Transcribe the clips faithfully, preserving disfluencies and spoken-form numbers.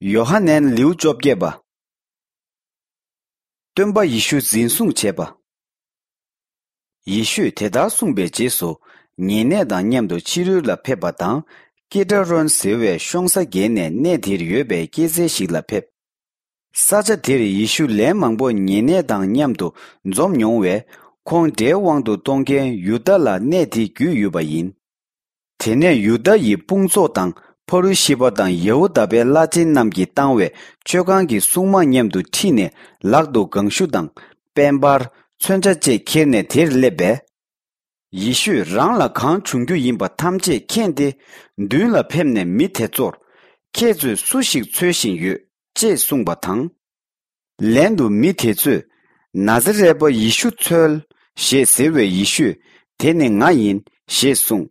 ཡོ་ཧ་ནན་ལེའུ་བཅོ་བརྒྱད་པ། སྟོན་པ་ཡེ་ཤུ་འཛིན་བཟུང་བྱས་པ། ཡེ་ཤུས་དེ་ལྟར་གསུངས་པའི་རྗེས་སུ། ཉེ་གནས་དང་མཉམ་དུ་ཕྱི་རོལ་ལ་ཕེབས་པ་དང་། ཀི་ཏྲ་རོན་ཟེར་བའི་ཤོང་ས་བརྒལ་ནས་གནས་དེར་ཡོད་པའི་སྐྱེད་ཚལ་ཞིག་ལ་ཕེབས། ས་ཆ་དེར་ཡེ་ཤུ་ལན་མང་པོ་ཉེ་གནས་དང་མཉམ་དུ་འཛོམས་མྱོང་བས། ཁོང་དགྲའི་དབང་དུ་གཏོང་མཁན་ཡུ་དཱ་ལ་གནས་དེ་བརྒྱུད་ཡོད་པ་ཡིན། དེ་ནས་ཡུ་དཱ་ཡི་དཔུང་ཚོགས་དང་ཕ་རུ་ཤི་པ་དང་ཡ་ཧུ་དཱ་པའི་བླ་ཆེན་རྣམས་ཀྱིས་བཏང་བའི་མཆོད་ཁང་གི་སྲུང་མ་མཉམ་དུ་ཁྲིད་ནས། ལག་ཏུ་ལྒང་ཤུ་དང་། དཔལ་འབར། མཚོན་ཆ་བཅས་ཁྱེར་ནས་དེར་སླེབས་པས། ཡེ་ཤུས་རང་ལ་གང་བྱུང་རྒྱུ་ཡིན་པ་ཐམས་ཅད་མཁྱེན་ཏེ། མདུན་ལ་ཕེབས་ནས་མི་དེ་ཚོར། ཁྱེད་ཚོས་སུ་ཞིག་འཚོལ་བཞིན་ཡོད་ཅེས་གསུངས་པ་དང་། ལན་དུ་མི་དེ་ཚོས། ན་ཛ་རད་པ་ཡེ་ཤུ་འཚོལ། ཞེས་ཟེར་བས། ཡེ་ཤུས། དེ་ནི་ང་ཡིན། ཞེས་གསུངས།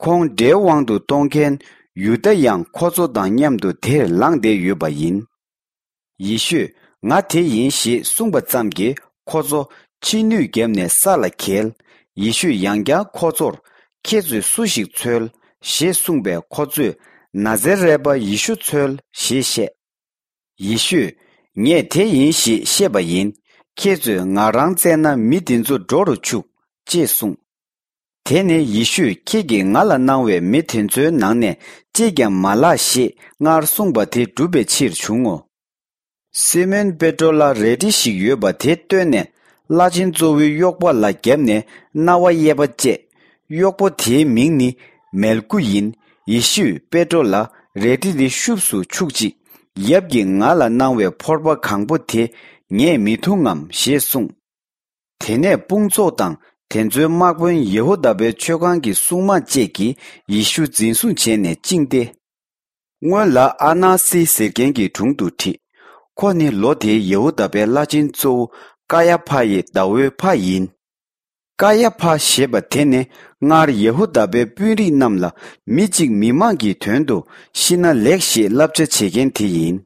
ཁོང་དགྲའི་དབང་དུ་གཏོང་མཁན་ཡུ་དཱ་ཡང་ཁོ་ཚོ་དང་མཉམ་དུ་དེར་ལངས་བསྡད་ཡོད་པ་ཡིན། ཡེ་ཤུས། ང་དེ་ཡིན། ཞེས་གསུངས་པ་ཙམ་གྱིས་ཁོ་ཚོ་ཕྱི་སྣོད་བརྒྱབ་ནས་ས་ལ་འགྱེལ། ཡེ་ཤུས་ཡང་བསྐྱར་ཁོ་ཚོར། ཁྱེད་ཚོས་སུ་ཞིག་འཚོལ། ཞེས་གསུངས་པས། ཁོ་ཚོས། ན་ཛ་རད་པ་ཡེ་ཤུ་འཚོལ། ཞེས་བཤད། ཡེ་ཤུས། ངས་དེ་ཡིན་ཞེས་བཤད་པ་ཡིན། ཁྱེད་ཚོས་ང་རང་བཙལ་ན་མི་དེ་ཚོ་འགྲོ་རུ་ཆུག་ཅེས་གསུངས། དེ་ནས་ཡེ་ཤུས། ཁྱེད་ཀྱིས་ང་ལ་གནང་བའི་མི་དེ་ཚོའི་ནང་ནས་གཅིག་ཀྱང་མ་བརླག་ཞེས་སྔར་གསུངས་པ་དེ་འགྲུབ་པའི་ཕྱིར་བྱུང་ངོ་། སི་མོན་པེ་ཏྲོ་ལ་རལ་གྲི་ཞིག་ཡོད་པ་དེ་བཏོན་ནས། བླ་ཆེན་གཙོ་བོའི་གཡོག་པོ་ལ་བརྒྱབ་ནས་རྣ་བ་གཡས་པ་བཅད། གཡོག་པོ་དེའི་མིང་ནི་མལ་ཀུ་ཡིན། ཡེ་ཤུས་པེ་ཏྲོ་ལ། རལ་གྲི་འདི་ཤུབས་སུ་འཁྱུག་ཅིག་ཡབ་ཀྱིས་ང་ལ་གནང་བའི་ཕོར་པ་གང་པོ་དེ་ངས་མི་འཐུང་ངམ། ཞེས་གསུངས། དེ་ནས་དཔུང་ཚོགས་དང་དེ་ཚོའི་དམག་དཔོན་ཡེ་ཧུ་དཱ་པའི་མཆོད་ཁང་གི་སྲུང་མ་བཅས་ཀྱིས་ཡེ་ཤུ་འཛིན་བཟུང་བྱས་ནས་བཅིངས་ཏེ། སྔོན་ལ་ཨ་ན་སི་ཟེར་མཁན་གྱི་དྲུང་དུ་ཁྲིད། ཁོ་ནི་ལོ་དེའི་ཡེ་ཧུ་དཱ་པའི་བླ་ཆེན་གཙོ་བོ་ཀ་ཡ་ཕ་ཡི་ཟླ་བོའི་ཕ་ཡིན། ཀ་ཡ་ཕ་ཞེས་པ་དེ་ནི་སྔར་ཡེ་ཧུ་དཱ་པའི་དཔོན་རིགས་རྣམས་ལ་མི་གཅིག་མི་མང་གི་དོན་དུ་ཤི་ན་ལེགས་ཞེས་བསླབ་བྱ་བྱེད་མཁན་དེ་ཡིན།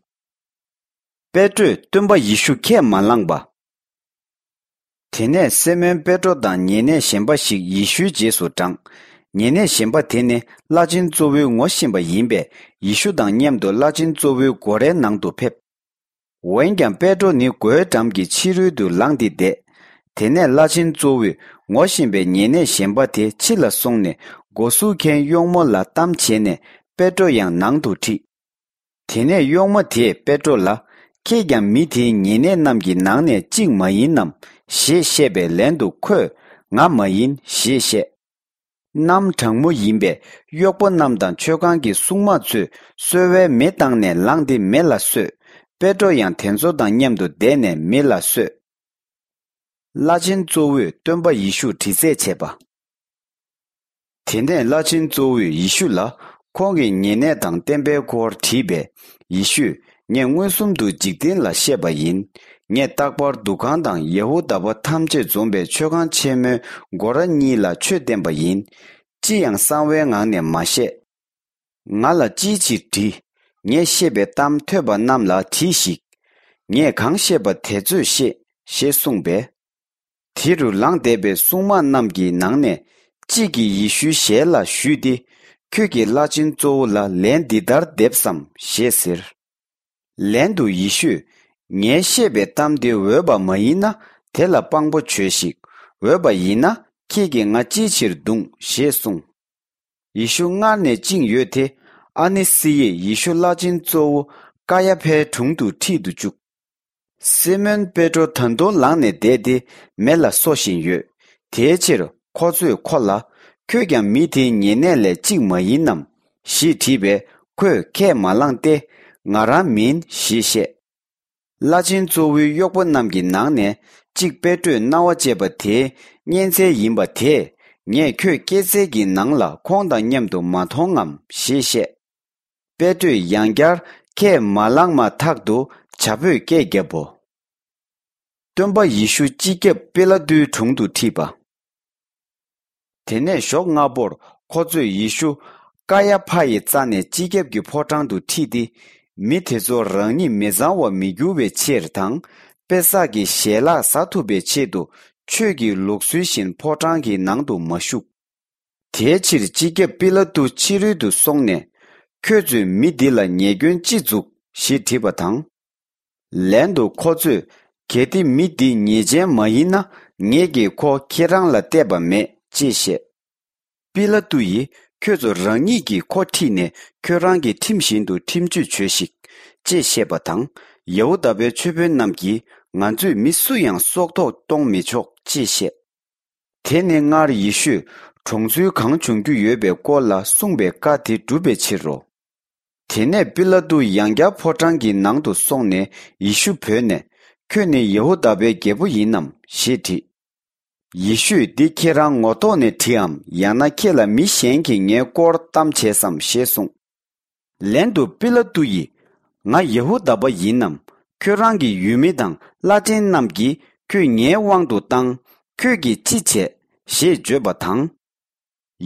པེ་ཏྲོས་སྟོན་པ་ཡེ་ཤུ་ཁས་མ་བླངས་པ། དེ་ནས་སི་མོན་པེ་ཏྲོ་དང་ཉེ་གནས་གཞན་པ་ཞིག་ཡེ་ཤུའི་རྗེས་སུ་འབྲངས། ཉེ་གནས་གཞན་པ་དེ་ནི་བླ་ཆེན་གཙོ་བོའི་ངོ་ཤེས་པ་ཡིན་པས། ཡེ་ཤུ་དང་མཉམ་དུ་བླ་ཆེན་གཙོ་བོའི་སྒོ་རའི་ནང་དུ་ཕེབས། འོན་ཀྱང་པེ་ཏྲོ་ནི་སྒོའི་འགྲམ་གྱི་ཕྱི་རོལ་དུ་ལངས་ཏེ་བསྡད། དེ་ནས་བླ་ཆེན་གཙོ་བོས་ངོ་ཤེས་པའི་ཉེ་གནས་གཞན་པ་དེ་ཕྱི་ལ་སོང་ནས། སྒོ་སྲུང་མཁན་གཡོག་མོ་ལ་གཏམ་བྱས་ནས། པེ་ཏྲོ་ཡང་ནང་དུ་ཁྲིད། དེ་ནས་གཡོག་མོ་དེས་པེ་ཏྲོ་ལ། ཁྱེད་ཀྱང་མི་དེའི་ཉེ་གནས་རྣམས་ཀྱི་ནང་ནས་གཅིག་མ་ཡིན་ནམ། ཞེས་བཤད་པའི་ལན་དུ་ཁོས། ང་མ་ཡིན། ཞེས་བཤད། གནམ་གྲང་མོ་ཡིན་པས། གཡོག་པོ་རྣམས་དང་མཆོད་ཁང་གི་སྲུང་མ་ཚོས་གསོལ་བའི་མེ་བཏང་ནས་ལངས་ཏེ་མེ་ལ་བསྲོས། པེ་ཏྲོ་ཡང་དེ་ཚོ་དང་མཉམ་དུ་བསྡད་ནས་མེ་ལ་བསྲོས། བླ་ཆེན་གཙོ་བོས་སྟོན་པ་ཡེ་ཤུར་དྲི་རྩད་བྱས་པ། དེ་ནས་བླ་ཆེན་གཙོ་བོས་ཡེ་ཤུ་ལ་ཁོང་གི་ཉེ་གནས་དང་བསྟན་པའི་སྐོར་དྲིས་པས། ཡེ་ཤུས། ངས་མངོན་སུམ་དུ་འཇིག་རྟེན་ལ་བཤད་པ་ཡིན། ངས་རྟག་པར་འདུ་ཁང་དང་ཡེ་ཧུ་དཱ་པ་ཐམས་ཅད་འཛོམས་པའི་མཆོད་ཁང་ཆེན་མོའི་སྒོ་ར་གཉིས་ལ་ཆོས་བསྟན་པ་ཡིན། ཅི་ཡང་གསང་བའི་ངང་ནས་མ་བཤད། ང་ལ་ཅིའི་ཕྱིར་དྲིས། ངས་བཤད་པའི་གཏམ་ཐོས་པ་རྣམས་ལ་དྲིས་ཤིག་ངས་གང་བཤད་པ་དེ་ཚོས་ཤེས། ཞེས་གསུངས་པས། དེ་རུ་ལངས་བསྡད་པའི་སྲུང་དམག་རྣམས་ཀྱི་ནང་ནས་གཅིག་གིས་ཡེ་ཤུའི་ཞལ་ལ་ཞུས་ཏེ། ཁྱོད་ཀྱིས་བླ་ཆེན་གཙོ་བོ་ལ་ལན་འདི་ལྟར་འདེབས་སམ། ཞེས་ཟེར། ལན་དུ་ཡེ་ཤུས། ངས་བཤད་པའི་གཏམ་དེ་འོས་པ་མ་ཡིན་ན། དེ་ལ་དཔང་པོ་བྱོས་ཤིག་འོས་པ་ཡིན་ན། ཁྱེད་ཀྱིས་ང་ཅིའི་ཕྱིར་བརྡུངས། ཞེས་གསུངས། ཡེ་ཤུ་སྔར་ནས་བཅིངས་ཡོད་དེ། ཨ་ནི་སི་ཡིས་ཡེ་ཤུ་བླ་ཆེན་གཙོ་བོ་ཀ་ཡ་ཕའི་དྲུང་དུ་ཁྲིད་དུ་བཅུག་སི་མོན་པེ་ཏྲོ་ད་དུང་ལངས་ནས་བསྡད་དེ་མེ་ལ་བསྲོ་བཞིན་ཡོད། དེའི་ཕྱིར་ཁོ་ཚོས་ཁོ་ལ། ཁྱོད་ཀྱང་མི་དེའི་ཉེ་གནས་ལས་གཅིག་མ་ཡིན་ནམ། ཞེས་དྲིས་པས། ཁོས་ཁས་མ་བླངས་ཏེ། ང་རང་མིན། ཞེས་བཤད། བླ་ཆེན་གཙོ་བོའི་གཡོག་པོ་རྣམས་ཀྱི་ནང་ནས་གཅིག་པེ་ཏྲོས་རྣ་བ་བཅད་པ་དེའི་གཉན་ཚད་ཡིན་པ་དེས། ངས་ཁྱོད་སྐྱེད་ཚལ་གྱི་ནང་ལ་ཁོང་དང་མཉམ་དུ་མ་མཐོང་ངམ། ཞེས་བཤད། པེ་ཏྲོས་ཡང་བསྐྱར་ཁས་མ་བླངས་མ་ཐག་ཏུ་བྱ་ཕོས་སྐད་བརྒྱབ་བོ། སྟོན་པ་ཡེ་ཤུ་སྤྱི་ཁྱབ་པི་ལ་ཏུའི་དྲུང་དུ་ཁྲིད་པ། དེ་ནས་ཞོགས་སྔ་པོར་ཁོ་ཚོས་ཡེ་ཤུ་ཀ་ཡ་ཕ་ཡི་རྩ་ནས་སྤྱི་ཁྱབ་ཀྱི་ཕོ་བྲང་དུ་ཁྲིད་དེ། མི་དེ་ཚོ་རང་ཉིད་མི་གཙང་བར་མི་འགྱུར་བའི་ཕྱིར་དང་། པེ་སག་གི་ཞལ་ལག་ཟ་ཐུབ་པའི་ཆེད་དུ། ཆོས་ཀྱི་ལུགས་སྲོལ་བཞིན་ཕོ་བྲང་གི་ནང་དུ་མ་བཞུགས། དེའི་ཕྱིར་སྤྱི་ཁྱབ་པི་ལ་ཏུ་ཕྱི་རོལ་དུ་སོང་ནས། ཁྱོད་ཚོས་མི་འདི་ལ་ཉེས་སྐྱོན་ཅི་འཛུགས། ཞེས་དྲིས་པ་དང་། ལན་དུ་ཁོ་ཚོས། གལ་ཏེ་མི་འདི་ཉེས་ཅན་མ་ཡིན་ན། ངེད་ཀྱིས་ཁོ་ཁྱེད་རང་ལ་གཏད་པ་མེད། ཅེས་བཤད། པི་ལ་ཏུ་ཡིས། ཁྱོད་ཚོ་རང་ཉིད་ཀྱིས་ཁོ་ཁྲིད་ནས། ཁྱོད་རང་གི་ཁྲིམས་བཞིན་དུ་ཁྲིམས་གཅོད་བྱོས་ཤིག། ཅེས་བཤད་པ་དང་། ཡ་ཧུ་དཱ་པའི་ཆོས་དཔོན་རྣམས་ཀྱིས། ང་ཚོས་མི་སུ་ཡང་སྲོག་ཐོག་གཏོང་མི་ཆོག། ཅེས་བཤད། དེ་ནི་སྔར་ཡེ་ཤུས། གྲོང་ཚོའི་གང་བྱུང་རྒྱུ་ཡོད་པའི་སྐོར་ལ་གསུངས་པའི་བཀའ་དེ་བསྒྲུབ་པའི་ཕྱིར་རོ། དེ་ནས་པི་ལ་ཏུ་ཡང་བསྐྱར་ཕོ་བྲང་གི་ནང་དུ་སོང་ནས་ཡེ་ཤུ་བོས་ནས། ཁྱོད་ནི་ཡ་ཧུ་དཱ་པའི་རྒྱལ་པོ་ཡིན་ནམ། ཞེས་དྲིས། ཡེ་ཤུས། འདི་ཁྱེད་རང་ངོ་ཐོག་ནས་དྲིས་འམ། ཡང་ན་ཁྱེད་ལ་མི་གཞན་གྱིས་ངའི་སྐོར་གཏམ་བྱས་སམ། ཞེས་གསུངས། ལན་དུ་པི་ལ་ཏུ་ཡིས། ང་ཡ་ཧུ་དཱ་པ་ཡིན་ནམ། ཁྱོད་རང་གི་ཡུལ་མི་དང་བླ་ཆེན་རྣམས་ཀྱིས་ཁྱོད་ངའི་དབང་དུ་བཏང་། ཁྱོད་ཀྱིས་ཅི་བྱས། ཞེས་བརྗོད་པ་དང་།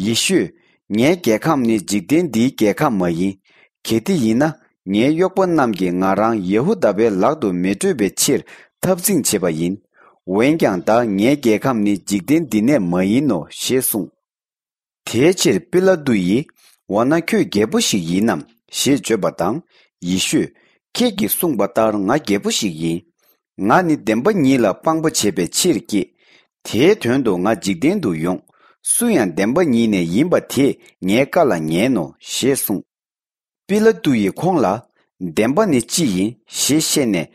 ཡེ་ཤུས། ངའི་རྒྱལ་ཁམས་ནི་འཇིག་རྟེན་འདིའི་རྒྱལ་ཁམས་མ་ཡིན། གལ་ཏེ་ཡིན་ན། ངའི་གཡོག་པོ་རྣམས་ཀྱིས་ང་རང་ཡ་ཧུ་དཱ་པའི་ལག་ཏུ་མི་སྤྲོད་པའི་ཕྱིར་འཐབ་འཛིང་བྱེད་པ་ཡིན། འོན་ཀྱང་། ད་ངའི་རྒྱལ་ཁམས་ནི་འཇིག་རྟེན་འདི་ནས་མ་ཡིན་ནོ། ཞེས་གསུངས། དེའི་ཕྱིར་པི་ལ་ཏུ་ཡིས། འོ་ན་ཁྱོད་རྒྱལ་པོ་ཞིག་ཡིན་ནམ། ཞེས་བརྗོད་པ་དང་། ཡེ་ཤུས། ཁྱེད་ཀྱིས་གསུངས་པ་ལྟར་ང་རྒྱལ་པོ་ཞིག་ཡིན། ང་ནི་བདེན་པ་ཉིད་ལ་དཔང་པོ་བྱེད་པའི་ཕྱིར་སྐྱེས། དེའི་དོན་དུ་ང་འཇིག་རྟེན་དུ་ཡོང་། སུ་ཡང་བདེན་པ་ཉིད་ནས་ཡིན་པ་དེས་ངའི་བཀའ་ལ་ཉན་ནོ། ཞེས་གསུངས། པི་ལ་ཏུ་ཡིས་ཁོང་ལ། བདེན་པ་ནི་ཅི་ཡིན། ཞེས་བཤད་ནས།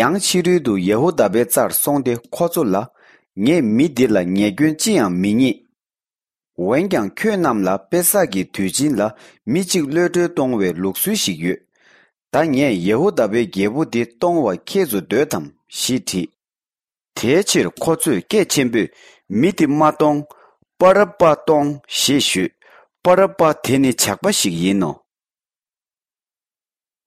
ཡང་ཕྱི་རོལ་དུ་ཡ་ཧུ་དཱ་པའི་རྩར་སོང་སྟེ་ཁོ་ཚོ་ལ། ངས་མི་འདི་ལ་ཉེས་སྐྱོན་ཅི་ཡང་མི་རྙེད། འོན་ཀྱང་། ཁྱོད་རྣམས་ལ་པེ་སག་གི་དུས་ཆེན་ལ་མི་གཅིག་གློད་གྲོལ་གཏོང་བའི་ལུགས་སྲོལ་ཞིག་ཡོད། ད་ངས་ཡ་ཧུ་དཱ་པའི་རྒྱལ་པོ་འདི་གཏོང་བར་ཁྱེད་ཚོ་འདོད་དམ། ཞེས་དྲིས། དེའི་ཕྱིར་ཁོ་ཚོས་སྐད་ཆེན་པོས། མི་འདི་མ་གཏོང་། པ་རབ་པ་གཏོང་། ཞེས་ཞུས། པ་རབ་པ་དེ་ནི་ཇག་པ་ཞིག་ཡིན་ནོ།